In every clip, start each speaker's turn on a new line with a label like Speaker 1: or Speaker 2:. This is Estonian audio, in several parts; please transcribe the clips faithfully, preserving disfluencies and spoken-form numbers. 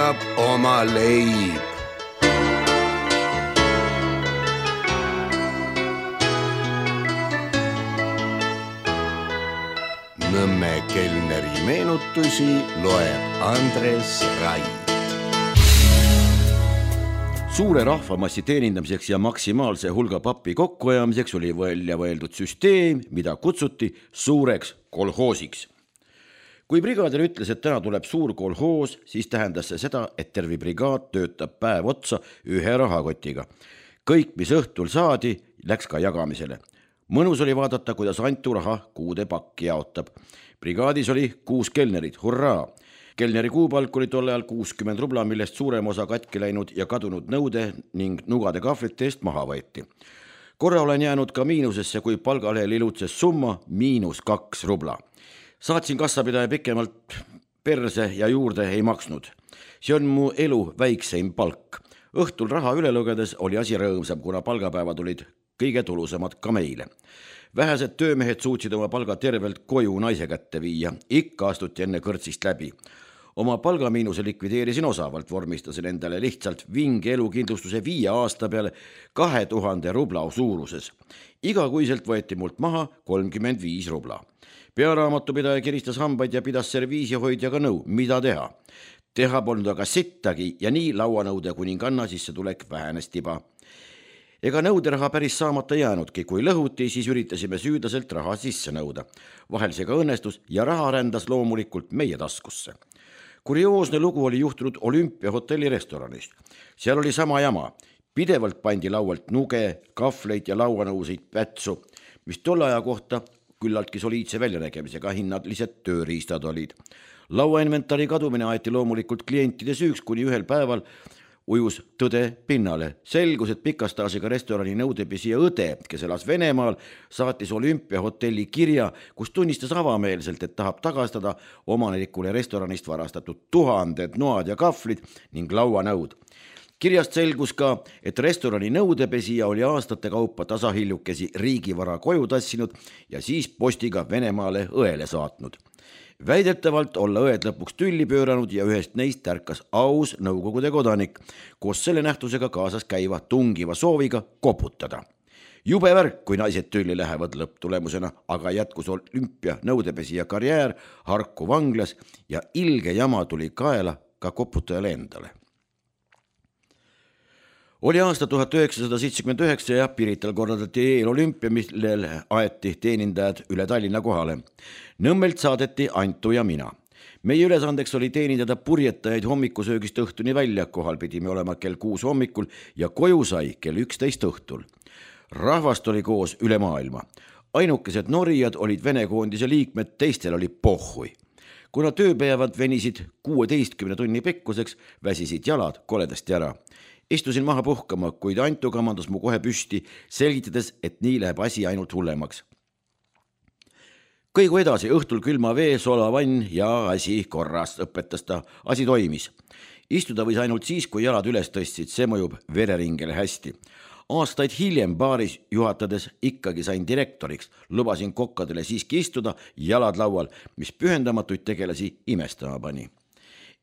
Speaker 1: leiab oma leib. Nõmme kelneri meenutusi loeb Andres Rai. Suure rahvamassi teenindamiseks ja maksimaalse hulga pappi kokkuajamiseks oli välja võeldud süsteem, mida kutsuti suureks kolhoosiks. Kui brigaadir ütles, et täna tuleb suur kolhoos, siis tähendas see seda, et terve brigaad töötab päev otsa ühe rahakotiga. Kõik, mis õhtul saadi, läks ka jagamisele. Mõnus oli vaadata, kuidas Antu raha kuude pakki jaotab. Brigaadis oli kuus kelnerit, hurraa! Kelneri kuupalk oli tolle ajal kuuskümmend rubla, millest suurem osa katki läinud ja kadunud nõude ning nugade kahvlite eest maha võeti. Korra olen jäänud ka miinusesse, kui palgalehel ilutses summa miinus kaks rubla. Saatsin kassapidaja pikemalt perse ja juurde ei maksnud. See on mu elu väikseim palk. Õhtul raha üle lugedes oli asi rõõmsam, kuna palgapäevad olid kõige tulusamad ka meile. Vähesed töömehed suutsid oma palga tervelt koju naise kätte viia. Ikka astuti enne kõrtsist läbi. Oma palgamiinuse likvideerisin osavalt, vormistasin endale lihtsalt vinge elukindlustuse viie aasta peale kahe tuhande rubla suuruses. Igakuiselt võeti mult maha kolmkümmend viis rubla. Pearaamatupidaja kiristas hambaid ja pidas serviisihoidjaga nõu, mida teha. Teha polnud aga sittagi ja nii lauanõude kuninganna sisse tulek vähenes tiba. Ega nõuderaha päris saamata jäänudki, kui lõhuti, siis üritasime süüdaselt raha sisse nõuda. Vahel see ka õnnestus ja raha rändas loomulikult meie taskusse. Kurioosne lugu oli juhtunud Olümpia hotelli restoranist. Seal oli sama jama. Pidevalt pandi laualt nuge, kahvleid ja lauanõusid pätsu, mis tolle aja kohta küllaltki soliidse väljanägemisega hinnadlised tööriistad olid. Lauainventari kadumine aeti loomulikult klientide süüks, kuni ühel päeval ujus tõde pinnale. Selgus, et pikastaasiga restorani nõudepesija õde, kes elas Venemaal, saatis Olümpia hotelli kirja, kus tunnistas avameelselt, et tahab tagastada omanikule restoranist varastatud tuhanded noad ja kahvlid ning lauanõud. Kirjast selgus ka, et restorani nõudepesija oli aastate kaupa tasahiljukesi riigivara koju tassinud ja siis postiga Venemaale õele saatnud. Väidetavalt olla õed lõpuks tülli pööranud ja ühest neist tärkas aus nõukogude kodanik, koos selle nähtusega kaasas käiva tungiva sooviga koputada. Jube värk, kui naised tülli lähevad lõpptulemusena, aga jätkus Olümpia nõudepesija karjäär Harku vanglas ja ilge jama tuli kaela ka koputajale endale. Oli aasta tuhat üheksasada seitsekümmend üheksa ja Pirital korraldati eelolümpia, millel aeti teenindajad üle Tallinna kohale. Nõmmelt saadeti Antu ja mina. Meie ülesandeks oli teenindada purjetajaid hommikusöögist õhtuni välja, kohal pidime olema kell kuus hommikul ja koju sai kell üksteist õhtul. Rahvast oli koos üle maailma. Ainukesed norijad olid Vene koondise liikmed, teistel oli pohhui. Kuna tööpäevad venisid kuueteistkümne tunni pikkuseks, väsisid jalad koledasti ära. Istusin maha puhkama, kuid Antu kamandas mu kohe püsti, selgitades, et nii läheb asi ainult hullemaks. Kõigu edasi, õhtul külma vee, solavann ja asi korras, õpetas ta. Asi toimis. Istuda võis ainult siis, kui jalad üles tõstsid, see mõjub vereringele hästi. Aastaid hiljem baaris juhatades ikkagi sain direktoriks, lubasin kokkadele siiski istuda, jalad laual, mis pühendamatuid tegelasi imestama pani.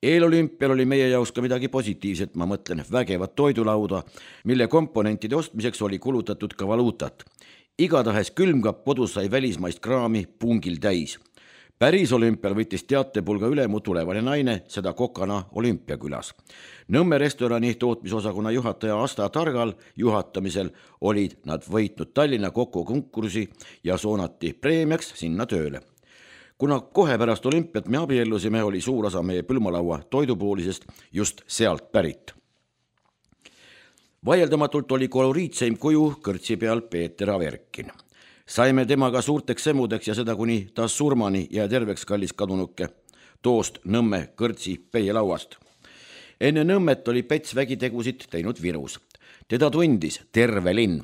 Speaker 1: Eelolümpial oli meie jaoks ka midagi positiivset, ma mõtlen vägevat toidulauda, mille komponentide ostmiseks oli kulutatud ka valuutat. Igatahes külmkapp kodus sai välismaist kraami pungil täis. Päris olümpial võttis teatepulga üle mu tulevane naine, seda kokana Olümpiakülas. Nõmme restorani tootmisosakonna juhataja Asta Targal juhatamisel olid nad võitnud Tallinna Kokku konkursi ja soonati preemiaks sinna tööle. Kuna kohe pärast olümpiat me abiellusime, oli suur osa meie pülmalaua toidupoolisest just sealt pärit. Vaieldamatult oli koloriitseim kuju kõrtsi peal Peeter Averkin. Saime temaga suurteks semudeks ja seda kuni ta surmani ja terveks kallis kadunuke toost Nõmme kõrtsi peielauast. Enne Nõmmet oli Pets vägitegusid teinud Virus. Teda tundis terve linn.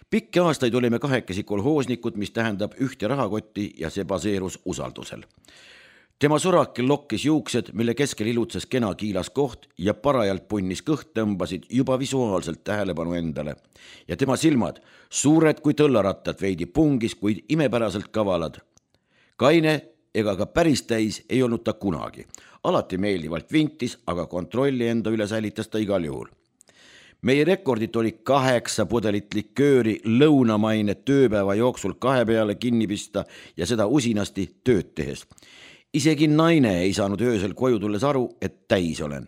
Speaker 1: Pikki aastaid olime kahekesi kolhoosnikud, mis tähendab ühte rahakotti ja see baseerus usaldusel. Tema surakil lokkis juuksed, mille keskel ilutses kena kiilas koht ja parajalt punnis kõht tõmbasid juba visuaalselt tähelepanu endale. Ja tema silmad, suured kui tõllarattad veidi pungis, kuid imepäraselt kavalad. Kaine ega ka päris täis ei olnud ta kunagi. Alati meeldivalt vintis, aga kontrolli enda üle säilitas ta igal juhul. Meie rekordit oli kaheksa pudelit likööri lõunamaine tööpäeva jooksul kahe peale kinni pista ja seda usinasti tööd tehes. Isegi naine ei saanud öösel koju tulles aru, et täis olen.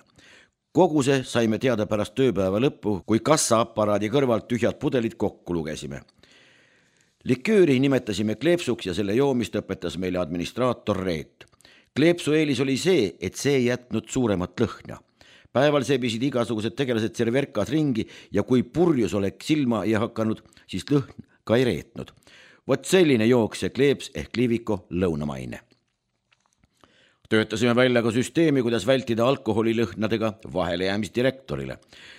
Speaker 1: Kogu see saime teada pärast tööpäeva lõppu, kui kassaaparaadi kõrvalt tühjad pudelid kokku lugesime. Likööri nimetasime kleepsuks ja selle joomist õpetas meile administraator Reet. Kleepsu eelis oli see, et see ei jätnud suuremat lõhna. Päeval seebisid igasugused tegelased serverkas ringi ja kui purjus oleks silma ei hakanud, siis lõhn ka ei reetnud. Vot selline jooks see kleeps ehk Liviko lõunamaine. Töötasime välja ka süsteemi, kuidas vältida alkoholilõhnadega vahelejäämist direktorile.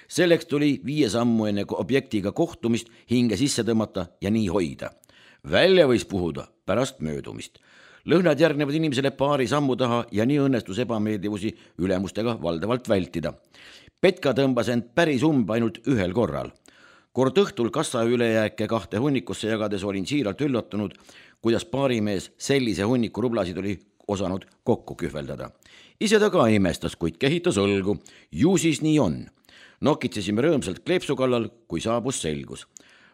Speaker 1: Selleks tuli viie sammu enne objektiga kohtumist hinge sisse tõmmata ja nii hoida. Välja võis puhuda pärast möödumist. Lõhnad järgnevad inimesele paari sammu taha ja nii õnnestus ebameeldivusi ülemustega valdavalt vältida. Petka tõmbas end päris umb ainult ühel korral. Kord õhtul kassa ülejääke kahte hunnikusse jagades olin siiralt üllatunud, kuidas paarimees sellise hunniku rublasid oli osanud kokku kühveldada. Ise ta ka imestas, kuid kehitas õlgu. Ju siis nii on. Nokitsesime rõõmsalt kleepsu kallal, kui saabus selgus.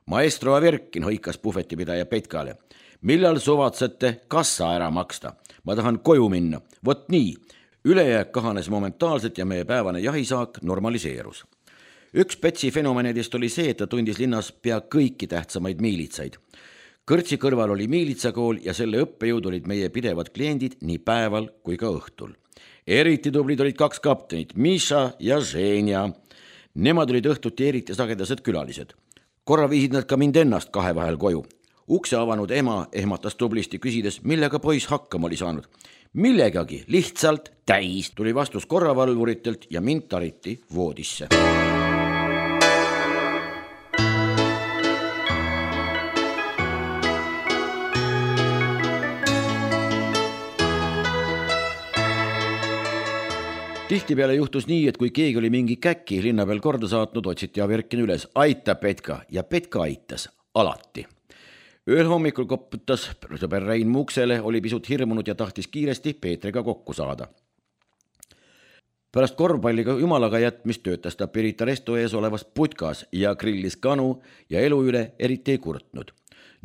Speaker 1: Maestro Averkin hõikas puhvetipidaja Petkale. Millal suvatsete kassa ära maksta? Ma tahan koju minna. Vot nii. Ülejääk kahanes momentaalselt ja meie päevane jahisaak normaliseerus. Üks Petsi fenomenedest oli see, et ta tundis linnas pea kõiki tähtsamaid miilitsaid. Kõrtsi kõrval oli miilitsakool ja selle õppejõud olid meie pidevad kliendid nii päeval kui ka õhtul. Eriti tublid olid kaks kaptenit, Misha ja Ženja. Nemad olid õhtuti eriti sagedased külalised. Korra viisid nad ka mind ennast kahe vahel koju. Ukse avanud ema ehmatas tublisti küsides, millega poiss hakkama oli saanud. Millegagi, lihtsalt täis, tuli vastus korravalvuritelt ja mind tariti voodisse. Tihtipeale juhtus nii, et kui keegi oli mingi käki linna peal korda saatnud, otsiti Averkin üles. Aita Petka ja Petka aitas alati. Ööl hommikul koputas sõber Rein Muksele, oli pisut hirmunud ja tahtis kiiresti Peetriga kokku saada. Pärast korvpalliga jumalaga jätmist töötas ta Pirita resto ees olevas putkas ja grillis kanu ja elu üle eriti ei kurtnud.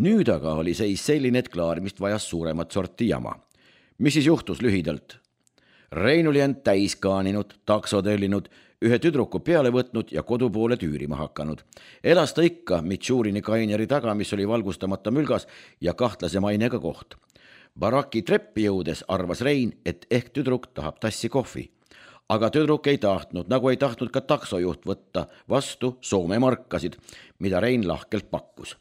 Speaker 1: Nüüd aga oli seis selline, et klaarimist vajas suuremat sorti jama. Mis siis juhtus lühidalt? Rein oli end täis kaaninud, takso tellinud, ühe tüdruku peale võtnud ja kodu poole tüürima hakanud. Elas ta ikka Mitšurini kaineri taga, mis oli valgustamata mülgas ja kahtlase mainega koht. Baraki treppi jõudes arvas Rein, et ehk tüdruk tahab tassi kohvi. Aga tüdruk ei tahtnud, nagu ei tahtnud ka taksojuht võtta vastu Soome markasid, mida Rein lahkelt pakkus.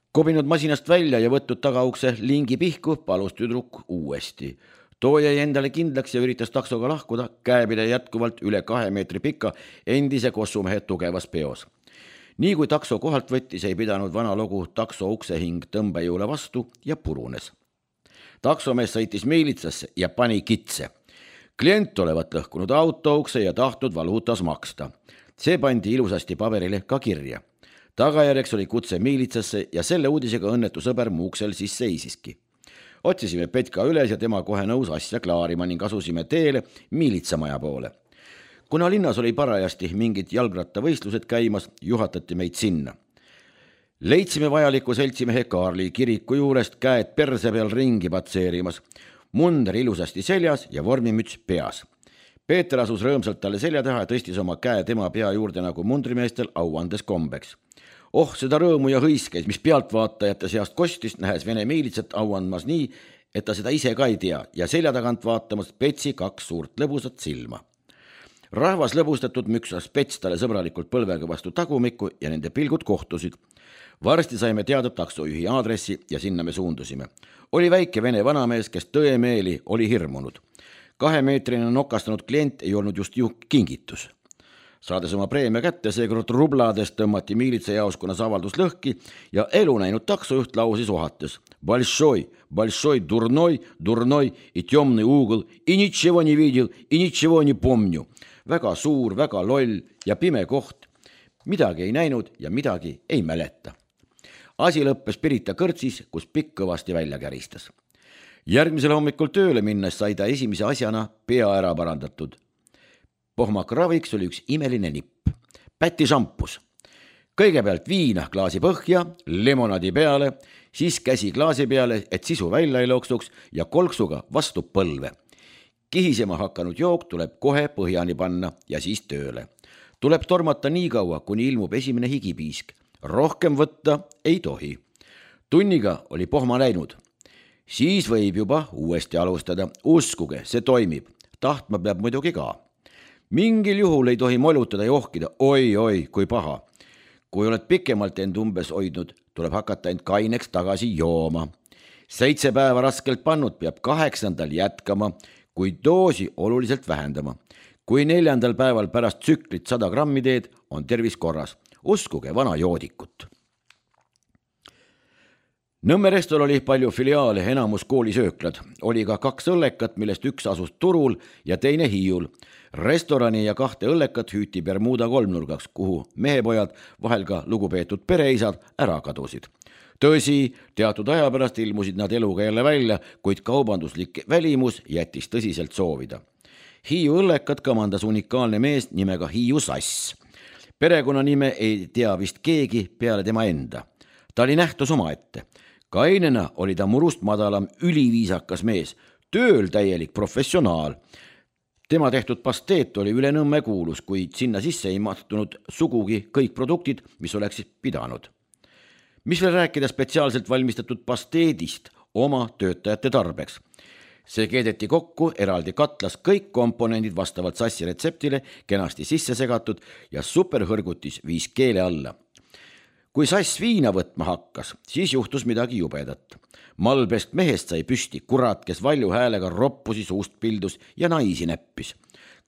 Speaker 1: Kobinud masinast välja ja võtnud tagaukse lingi pihku, palus tüdruk uuesti. Too jäi endale kindlaks ja üritas taksoga lahkuda, käepide jätkuvalt üle kahe meetri pika endise kossumehe tugevas peos. Nii kui takso kohalt võttis, ei pidanud vana logu takso uksehing tõmbejõule vastu ja purunes. Taksomees sõitis miilitsasse ja pani kitse. Klient olevat lõhkunud auto ukse ja tahtnud valuutas maksta. See pandi ilusasti paberile ka kirja. Tagajärjeks oli kutse miilitsasse ja selle uudisega õnnetu sõber Muuksel siis seisiski. Otsisime Petka üles ja tema kohe nõus asja klaarima ning asusime teele miilitsamaja poole. Kuna linnas oli parajasti mingid jalgrattavõistlused käimas, juhatati meid sinna. Leidsime vajaliku seltsimehe Kaarli kiriku juurest käed perse peal ringi patseerimas, munder ilusasti seljas ja vormimüts peas. Peeter asus rõõmsalt talle selja taha ja tõstis oma käe tema pea juurde nagu mundrimeestel auandes kombeks. Oh, seda rõõmu ja hõiskeid, mis pealtvaatajate seast kostis, nähes Vene miilitsat auandmas nii, et ta seda ise ka ei tea ja selja tagant vaatamas Petsi kaks suurt lõbusat silma. Rahvas lõbustatud müksas Pets talle sõbralikult põlvega vastu tagumikku ja nende pilgud kohtusid. Varsti saime teada taksojuhi aadressi ja sinna me suundusime. Oli väike vene vanamees, kes tõemeeli oli hirmunud. Kahemeetrine nokastanud klient ei olnud just ju kingitus. Saades oma preemia kätte, seekord rublades tõmmati miilitsa jaoskonnas avaldus lõhki ja elu näinud taksojuht lausis ohates. Большой, большой, дурной, дурной и темный угол и ничего не видел и ничего не помню. Väga suur, väga loll ja pime koht. Midagi ei näinud ja midagi ei mäleta. Asi lõppes Pirita kõrtsis, kus pikk kõvasti välja käristas. järgmisel hommikul tööle minnes sai ta esimese asjana pea ära parandatud. Pohmakraviks oli üks imeline nipp. Päti šampus. Kõigepealt viina klaasi põhja, limonadi peale, siis käsi klaasi peale, et sisu välja ei looksuks ja kolksuga vastu põlve. Kihisema hakanud jook tuleb kohe põhjani panna ja siis tööle. Tuleb tormata nii kaua, kuni ilmub esimene higipiisk. Rohkem võtta ei tohi. Tunniga oli pohma läinud. Siis võib juba uuesti alustada. Uskuge, see toimib. Tahtma peab muidugi ka. Mingil juhul ei tohi molutada ja ohkida. Oi, oi, kui paha. Kui oled pikemalt end umbes hoidnud, tuleb hakata end kaineks tagasi jooma. Seitse päeva raskelt pannud peab kaheksandal jätkama, kui doosi oluliselt vähendama. Kui neljandal päeval pärast tsüklit sada grammi teed, on tervis korras. Uskuge vana joodikut. Nõmme restol oli palju filiaale, enamus koolisööklad. Oli ka kaks õllekat, millest üks asus Turul ja teine Hiiul. Restorani ja kahte õllekat hüüti Bermuda kolmnurgaks, kuhu mehepojad, vahel ka lugupeetud pereisad, ära kadusid. Tõsi, teatud aja pärast ilmusid nad eluga jälle välja, kuid kaubanduslik välimus jättis tõsiselt soovida. Hiiu õllekat kamandas unikaalne mees nimega Hiiu Sass. Perekonna nime ei tea vist keegi peale tema enda. Ta oli nähtus omaette. Kainena oli ta murust madalam üliviisakas mees, tööl täielik professionaal. Tema tehtud pasteet oli üle Nõmme kuulus, kuid sinna sisse ei mahtunud sugugi kõik produktid, mis oleksid pidanud. Mis veel rääkida spetsiaalselt valmistatud pasteedist oma töötajate tarbeks. See keedeti kokku eraldi katlas kõik komponendid vastavalt Sassi retseptile kenasti sisse segatud ja superhõrgutis viis keele alla. Kui Sass viina võtma hakkas, siis juhtus midagi jubedat. Malbest mehest sai püsti kurat, kes valju häälega roppusi suust pildus ja naisi näppis.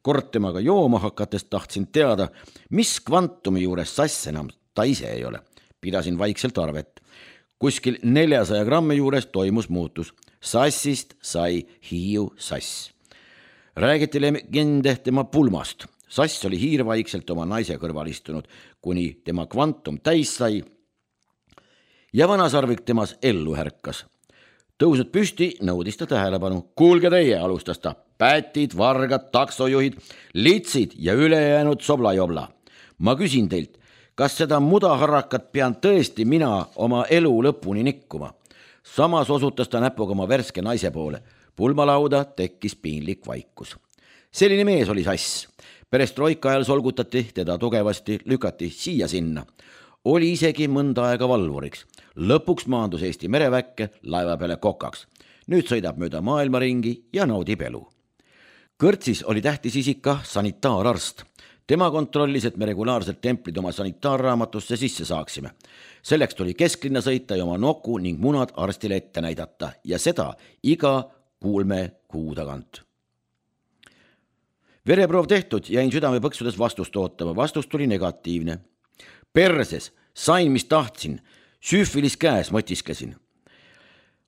Speaker 1: Kord temaga jooma hakates tahtsin teada, mis kvantumi juures Sass enam ta ise ei ole. Pidasin vaikselt arvet. Kuskil neljasaja grammi juures toimus muutus. Sassist sai Hiiu Sass. Räägiti legende tema pulmast. Sass oli hiirvaikselt oma naise kõrval istunud, kuni tema kvantum täis sai ja vanasarvik temas ellu härkas. Tõusnud püsti, nõudis ta tähelepanu. Kuulge teie, alustas ta. Pätid, vargad, taksojuhid, litsid ja ülejäänud soblajobla. Ma küsin teilt, kas seda mudaharakat pean tõesti mina oma elu lõpuni nikkuma? Samas osutas ta näpuga oma värske naise poole. Pulmalauda tekkis piinlik vaikus. Selline mees oli Sass. Perestroika ajal solgutati teda tugevasti, lükati siia sinna. Oli isegi mõnda aega valvuriks. Lõpuks maandus Eesti mereväkke laeva peale kokaks. Nüüd sõidab mööda maailmaringi ja naudib elu. Kõrtsis oli tähtis isika sanitaararst. Tema kontrollis, et me regulaarselt templid oma sanitaarraamatusse sisse saaksime. Selleks tuli kesklinna sõita ja oma noku ning munad arstile ette näidata ja seda iga kuulme kuu tagant. Vereproov tehtud, jäin südame põksudes vastust ootama. Vastus tuli negatiivne. Perses, sain mis tahtsin, süüfilis käes mõtisklesin.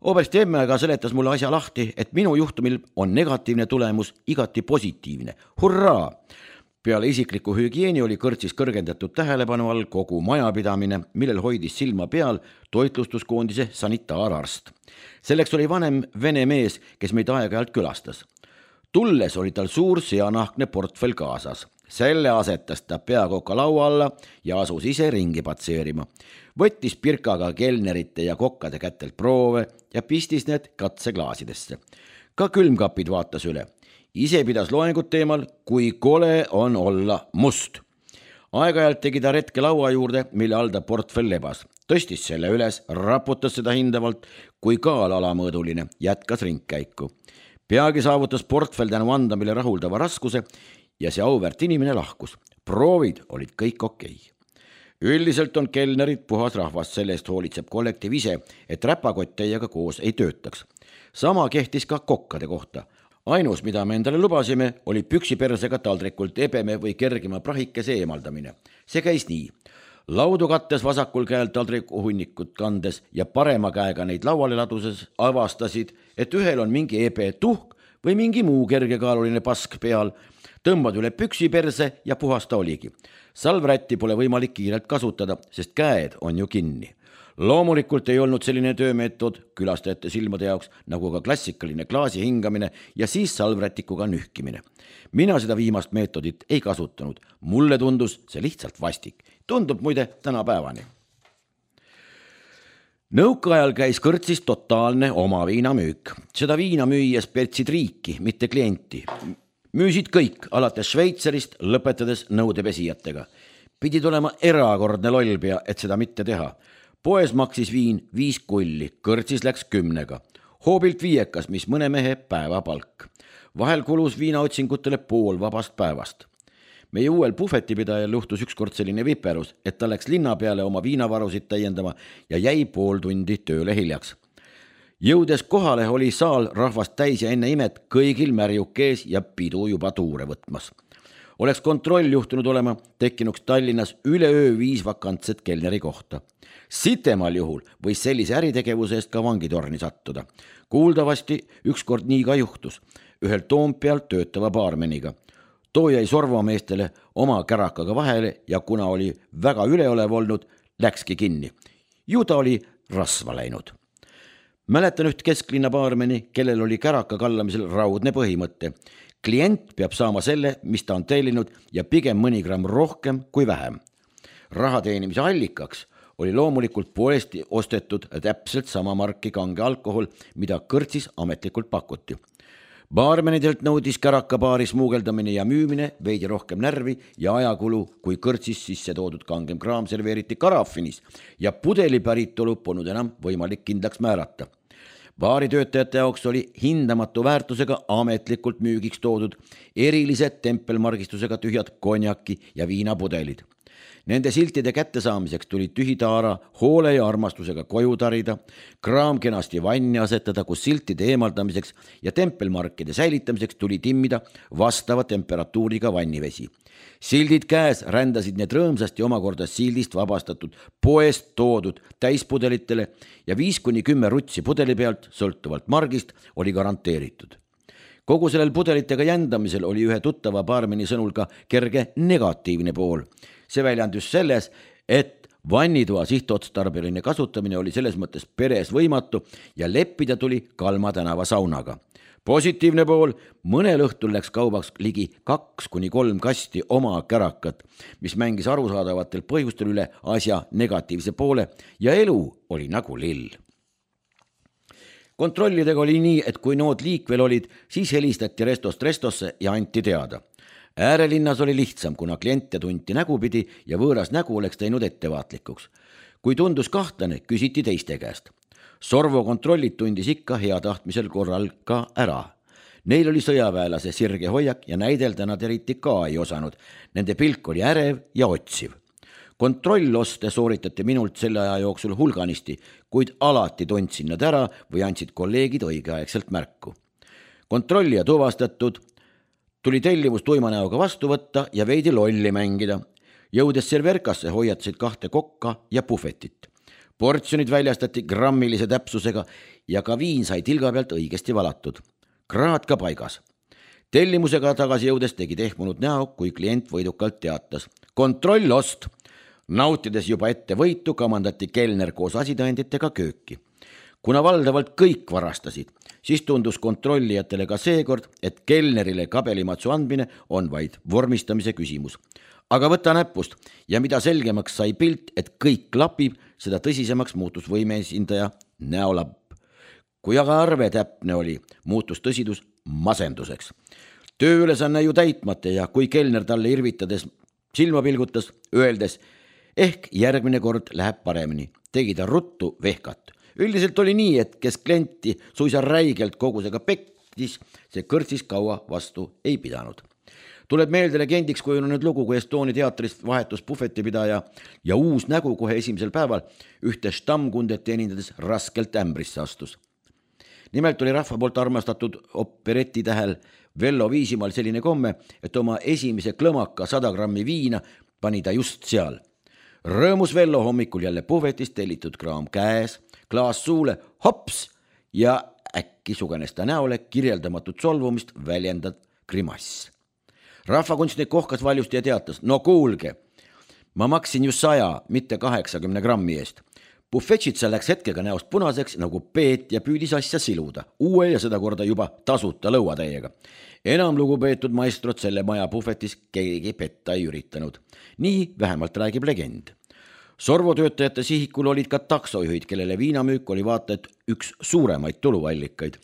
Speaker 1: Oberst emme aga seletas mulle asja lahti, et minu juhtumil on negatiivne tulemus igati positiivne. Hurraa! Peale isikliku hügieeni oli kõrtsis kõrgendatud tähelepanu all kogu majapidamine, millel hoidis silma peal toitlustuskoondise sanitaararst. Selleks oli vanem vene mees, kes meid aeg-ajalt külastas. Tulles oli tal suur seanahkne portfell kaasas. Selle asetas ta peakoka laua alla ja asus ise ringi patseerima. Võttis pirkaga kelnerite ja kokkade kätelt proove ja pistis need katseklaasidesse. Ka külmkapid vaatas üle. Ise pidas loengut teemal, kui kole on olla must. Aeg-ajalt tegi ta retke laua juurde, mille all ta portfell lebas. Tõstis selle üles, raputas seda hindavalt, kui kaal alamõõduline, jätkas ringkäiku. Peagi saavutas portfell tänu andamile rahuldava raskuse ja see auväärt inimene lahkus. Proovid olid kõik okei. Üldiselt on kelnerid puhas rahvast, sellest hoolitseb kollektiiv ise, et räpakott teiega koos ei töötaks. Sama kehtis ka kokkade kohta. Ainus, mida me endale lubasime, oli püksipersega taldrikult ebeme või kergima prahikese eemaldamine. See käis nii. Laudu kattes vasakul käel taldriku hunnikut kandes ja parema käega neid lauale laduses avastasid, et ühel on mingi ebe tuhk või mingi muu kergekaaluline pask peal. tõmbad üle püksi perse ja puhasta oligi. Salvrätti pole võimalik kiirelt kasutada, sest käed on ju kinni. Loomulikult ei olnud selline töömeetod külastajate silmade jaoks nagu ka klassikaline klaasi hingamine ja siis salvrätikuga nühkimine. Mina seda viimast meetodit ei kasutanud. Mulle tundus see lihtsalt vastik. Tundub muide tänapäevani. Nõukaajal käis kõrtsis totaalne oma viinamüük. Seda viina müües pertsid riiki, mitte klienti. Müüsid kõik, alates Šveitserist, lõpetades nõudepesijatega. Pidid olema erakordne lollpea, et seda mitte teha. Poes maksis viin viis kulli, kõrtsis läks kümnega. Hoobilt viiekas, mis mõne mehe päevapalk. Vahel kulus viinaotsingutele pool vabast päevast. Meie uuel puhvetipidajal juhtus ükskord selline viperus, et ta läks linna peale oma viinavarusid täiendama ja jäi pool tundi tööle hiljaks. Jõudes kohale oli saal rahvast täis ja enne imet kõigil märjuk ees ja pidu juba tuure võtmas. Oleks kontroll juhtunud olema, tekkinuks Tallinnas üleöö viis vakantset kelneri kohta. Sitemal juhul võis sellise äritegevuse eest ka vangitorni sattuda. Kuuldavasti ükskord nii ka juhtus, ühel Toompeal töötava baarmeniga. Too jäi sorvameestele oma kärakaga vahele ja kuna oli väga üleolev olnud, läkski kinni. Ju ta oli rasva läinud. Mäletan üht kesklinna baarmeni, kellel oli käraka kallamisel raudne põhimõtte. Klient peab saama selle, mis ta on tellinud ja pigem mõni gramm rohkem kui vähem. Raha teenimise allikaks oli loomulikult poest ostetud täpselt sama marki kange alkohol, mida kõrtsis ametlikult pakuti. Baarmenidelt nõudis kärakabaari smuugeldamine ja müümine veidi rohkem närvi ja ajakulu, kui kõrtsis sisse toodud kangem kraam serveeriti karafinis ja pudeli päritolu polnud enam võimalik kindlaks määrata. Baaritöötajate jaoks oli hindamatu väärtusega ametlikult müügiks toodud erilised tempelmargistusega tühjad konjaki ja viinapudelid. Nende siltide kättesaamiseks tuli tühitaara hoole ja armastusega koju tarida, kraam kenasti vanni asetada, kus siltide eemaldamiseks ja tempelmarkide säilitamiseks tuli timmida vastava temperatuuriga vannivesi. Sildid käes rändasid need rõõmsasti omakorda sildist vabastatud poest toodud täispudelitele ja viis kuni kümme rutsi pudeli pealt, sõltuvalt margist, oli garanteeritud. Kogu sellel pudelitega jändamisel oli ühe tuttava baarmeni sõnul ka kerge negatiivne pool. See väljandus selles, et vannitoa sihtotstarbeline kasutamine oli selles mõttes peres võimatu ja leppida tuli Kalma tänava saunaga. Positiivne pool, mõnel õhtul läks kaubaks ligi kaks kuni kolm kasti oma kärakat, mis mängis arusaadavatel põhjustel üle asja negatiivse poole ja elu oli nagu lill. Kontrollidega oli nii, et kui nood liikvel olid, siis helistati restost restosse ja anti teada. Äärelinnas oli lihtsam, kuna kliente tunti nägupidi ja võõras nägu oleks teinud ettevaatlikuks. Kui tundus kahtlane, küsiti teiste käest. Sorvo kontrollid tundis ikka hea tahtmisel korral ka ära. Neil oli sõjaväelase sirge hoiak ja näidelda nad eriti ka ei osanud. Nende pilk oli ärev ja otsiv. Kontrolloste sooritati minult selle aja jooksul hulganisti, kuid alati tundsin nad ära või andsid kolleegid õigeaegselt märku. Kontrollija tuvastatud, tuli tellimus tuimanäoga vastu võtta ja veidi lolli mängida. Jõudes serverkasse hoiatasid kahte kokka ja puhvetit. Portsjonid väljastati grammilise täpsusega ja ka viin sai tilga pealt õigesti valatud. Kraad ka paigas. Tellimusega tagasi jõudes tegi tehmunud näo, kui klient võidukalt teatas. Kontrollost! Nautides juba ette võitu, kamandati kelner koos asitõenditega kööki. Kuna valdavalt kõik varastasid, siis tundus kontrollijatele ka seekord, et kelnerile kabelimatsu andmine on vaid vormistamise küsimus. Aga võta näpust ja mida selgemaks sai pilt, et kõik klapib, seda tõsisemaks muutus võimeesindaja näolapp. Kui aga arve täpne oli, muutus tõsidus masenduseks. Tööülesanne ju täitmata ja kui kelner talle irvitades silma pilgutas, öeldes, ehk järgmine kord läheb paremini, tegi ta ruttu vehkat. Üldiselt oli nii, et kes klienti suisa räigelt kogusega pektis, see kõrtsis kaua vastu ei pidanud. Tuleb meelde legendiks kujunenud lugu, kui Estonia teatrist vahetus puhvetipidaja ja uus nägu kohe esimesel päeval ühte štamkundet teenindades raskelt ämbrisse astus. Nimelt oli rahva poolt armastatud operettitähel Vello Viisimaal selline komme, et oma esimese klõmaka sada grammi viina pani ta just seal. Rõõmus Vello hommikul jälle puhvetist tellitud kraam käes, klaas suule, hops ja äkki sugenes ta näole kirjeldamatut solvumist väljendad grimass. rahvakunstnik kohkas valjusti ja teatas, no kuulge, ma maksin ju saja, mitte kaheksakümne grammi eest. Bufetšitsa läks hetkega näost punaseks nagu peet ja püüdis asja siluda, uue ja seda korda juba tasuta lõuatäiega. Enam lugupeetud maestrot selle maja bufetis keegi petta ei üritanud. Nii vähemalt räägib legend. Sorvo töötajate sihikul olid ka taksojuhid, kellele viinamüük oli vaata et üks suuremaid tuluallikaid.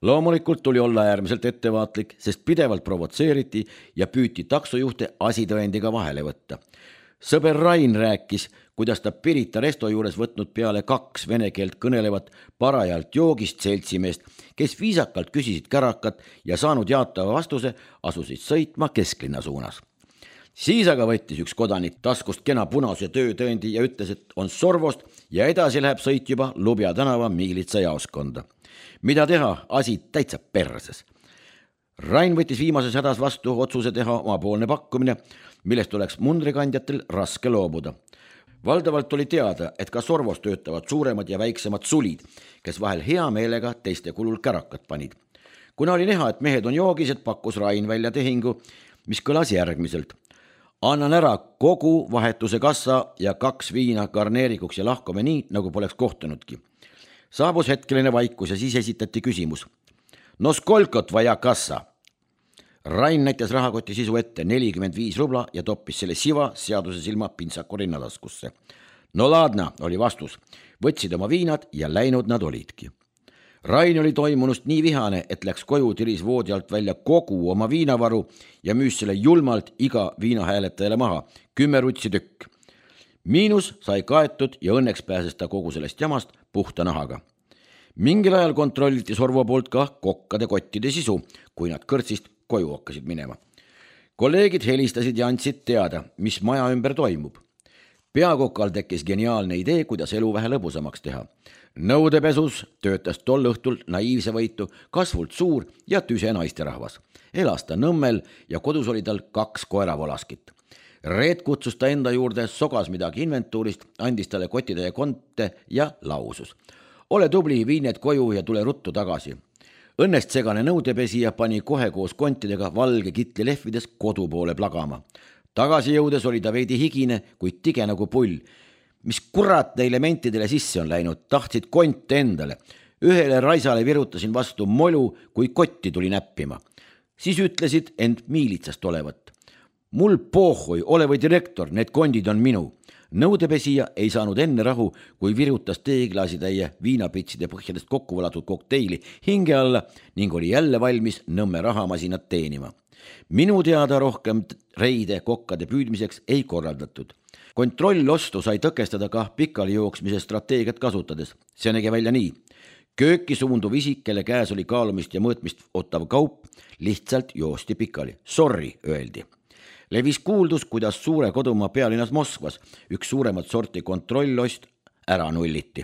Speaker 1: Loomulikult tuli olla äärmiselt ettevaatlik, sest pidevalt provotseeriti ja püüti taksojuhte asitõendiga vahele võtta. Sõber Rain rääkis, kuidas ta Pirita resto juures võtnud peale kaks vene keelt kõnelevat parajalt joogist seltsimeest, kes viisakalt küsisid kärakat ja saanud jaatava vastuse, asusid sõitma kesklinna suunas. Siis aga võttis üks kodanik taskust kena punase töötõendi ja ütles, et on Sorvost ja edasi läheb sõit juba Lubja tänava miilitsa jaoskonda. Mida teha, asi täitsa perses. Rain võttis viimases hädas vastu otsuse teha omapoolne pakkumine, millest oleks mundrikandjatel raske loobuda. Valdavalt oli teada, et ka Sorvos töötavad suuremad ja väiksemad sulid, kes vahel hea meelega teiste kulul kärakat panid. Kuna oli näha, et mehed on joogised, pakkus Rain välja tehingu, mis kõlas järgmiselt. Annan ära kogu vahetuse kassa ja kaks viina garneerikuks ja lahkome nii, nagu poleks kohtunudki. Saabus hetkeline vaikus ja siis esitati küsimus. No skolkot vaja kassa? Rain näitas rahakoti sisu ette nelikümmend viis rubla ja toppis selle siva seaduse silma pintsaku rinnataskusse. No ladna, oli vastus. Võtsid oma viinad ja läinud nad olidki. Rain oli toimunust nii vihane, et läks koju, tiris voodi alt välja kogu oma viinavaru ja müüs selle julmalt iga viinahääletajale maha. Kümme rutsi tükk. Miinus sai kaetud ja õnneks pääses ta kogu sellest jamast puhta nahaga. Mingil ajal kontrolliti Sorvo poolt ka kokkade kottide sisu, kui nad kõrtsist koju hakkasid minema. Kolleegid helistasid ja andsid teada, mis maja ümber toimub. Peakokal tekkis geniaalne idee, kuidas elu vähe lõbusamaks teha. Nõudepesus töötas tol õhtul naiivse võitu kasvult suur ja tüse naisterahvas. Elas ta Nõmmel ja kodus oli tal kaks koeravolaskit. Reet kutsus ta enda juurde, sogas midagi inventuurist, andis talle kotitäie konte ja lausus. Ole tubli, vii need koju ja tule ruttu tagasi. Õnnest segane nõudepesija pani kohe koos kontidega valge kitli lehvides kodu poole plagama. Tagasi jõudes oli ta veidi higine, kuid tige nagu pull. Mis kurat elementidele sisse on läinud, tahtsid konte endale. Ühele raisale virutasin vastu molu, kui kotti tuli näppima. Siis ütlesid end miilitsast olevat. Mul pohhui, ole või direktor, need kondid on minu. Nõudepesija ei saanud enne rahu, kui virutas teeklaasitäie viinapitside põhjadest kokku valatud kokteili hinge alla ning oli jälle valmis Nõmme rahamasinat teenima. Minu teada rohkem reide kokkade püüdmiseks ei korraldatud. Kontrollostu sai tõkestada ka pikali jooksmise strateegiat kasutades. See nägi välja nii. Kööki suunduv isik, kelle käes oli kaalumist ja mõõtmist ottav kaup, lihtsalt joosti pikali. Sorry, öeldi. Levis kuuldus, kuidas suure kodumaa pealinnas Moskvas üks suuremat sorti kontrollost ära nulliti.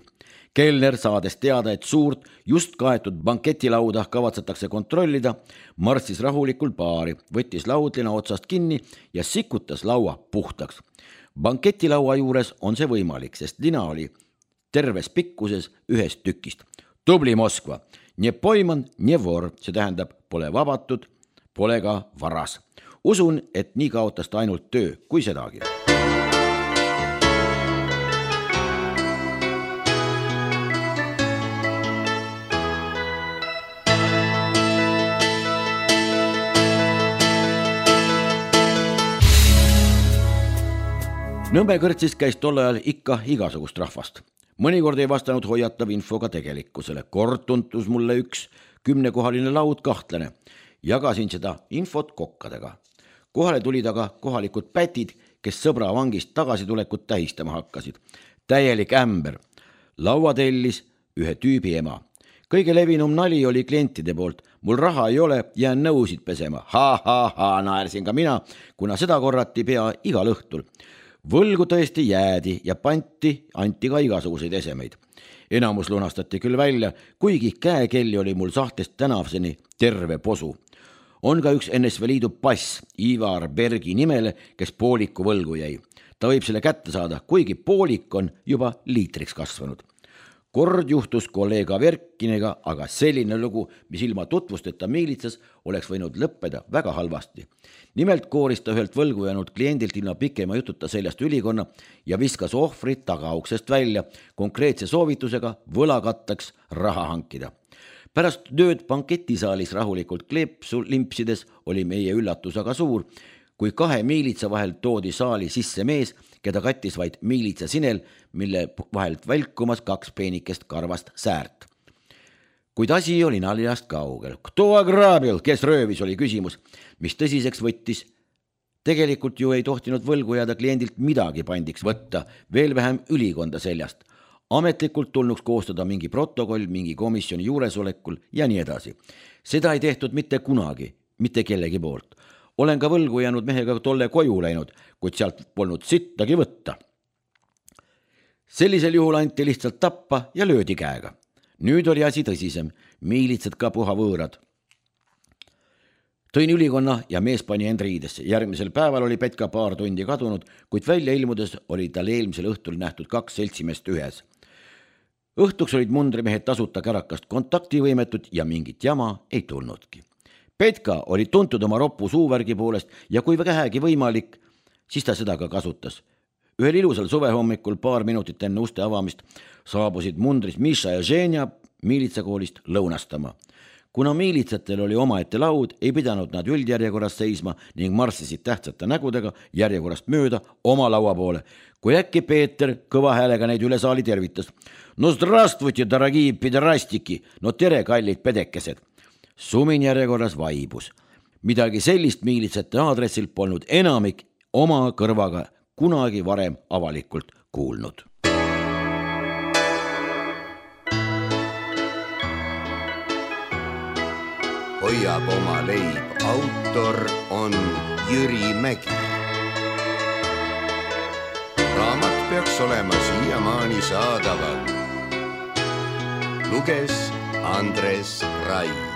Speaker 1: Kellner saades teada, et suurt just kaetud banketilauda kavatsetakse kontrollida, marssis rahulikult baari, võttis laudlina otsast kinni ja sikutas laua puhtaks. Banketilaua juures on see võimalik, sest lina oli terves pikkuses ühest tükist. Tubli Moskva, nie poiman, nie vor, see tähendab pole vabatud, pole ka varas. Usun, et nii kaotas ta ainult töö, kui sedagi. Nõmme kõrtsis käis tol ajal ikka igasugust rahvast. Mõnikord ei vastanud hoiatav info ka tegelikkusele. Kord tuntus mulle üks kümnekohaline laud kahtlane. Jagasin seda infot kokkadega. Kohale tulid aga kohalikud pätid, kes sõbra vangist tagasitulekut tähistama hakkasid. Täielik ämber. Laua tellis ühe tüübi ema. Kõige levinum nali oli klientide poolt. Mul raha ei ole, jään nõusid pesema. Ha, ha, ha, naersin ka mina, kuna seda korrati pea igal õhtul. Võlgu tõesti jäädi ja panti, anti ka igasuguseid esemeid. Enamus lunastati küll välja, kuigi käekelli oli mul sahtlist tänavseni terve posu. On ka üks N S V Liidu pass Ivar Bergi nimele, kes pooliku võlgu jäi. Ta võib selle kätte saada, kuigi poolik on juba liitriks kasvanud. Kord juhtus kolleeg Averkiniga, aga selline lugu, mis ilma tutvusteta miilitsas, oleks võinud lõppeda väga halvasti. Nimelt kooris ta ühelt võlgu jäänud kliendilt ilma pikema jututa seljast ülikonna ja viskas ohvrit tagauksest välja konkreetse soovitusega võlakatteks raha hankida. Pärast tööd banketisaalis rahulikult kleepsu limpsides oli meie üllatus aga suur, kui kahe miilitsa vahel toodi saali sisse mees, keda kattis vaid miilitsa sinel, mille vahelt välkumas kaks peenikest karvast säärt. Kuid asi oli naljast kaugel. Kto agraabil, kes röövis, oli küsimus, mis tõsiseks võttis. Tegelikult ju ei tohtinud võlgu jääda kliendilt midagi pandiks võtta, veel vähem ülikonda seljast. Ametlikult tulnuks koostada mingi protokoll, mingi komisjoni juuresolekul ja nii edasi. Seda ei tehtud mitte kunagi, mitte kellegi poolt. Olen ka võlgu jäänud mehega tolle koju läinud, kuid sealt polnud sittagi võtta. Sellisel juhul anti lihtsalt tappa ja löödi käega. Nüüd oli asi tõsisem, miilitsad ka puha võõrad. Tõin ülikonna ja mees pani end riidesse. Järgmisel päeval oli Petka paar tundi kadunud, kuid välja ilmudes oli tal eelmisel õhtul nähtud kaks seltsimest ühes. Õhtuks olid mundrimehed tasuta kärakast kontaktivõimetud ja mingit jama ei tulnudki. Petka oli tuntud oma roppu suuvärgi poolest ja kui vähegi võimalik, siis ta seda ka kasutas. Ühel ilusal suvehommikul paar minutit enne uste avamist saabusid mundris Miša ja Ženja miilitsakoolist lõunastama. Kuna miilitsatel oli omaette laud, ei pidanud nad üldjärjekorras seisma ning marssisid tähtsate nägudega järjekorrast mööda oma laua poole. Kui äkki Peeter kõva häälega neid üle saali tervitas. No zdravstvujte, daragi piderastiki, no tere, kallid pedekesed. Sumin järjekorras vaibus. Midagi sellist miilitsate aadressil polnud enamik oma kõrvaga kunagi varem avalikult kuulnud.
Speaker 2: Hoiab oma leib, autor on Jüri Mägi. Raamat peaks olema siiamaani saadaval. Luges Andres Rai.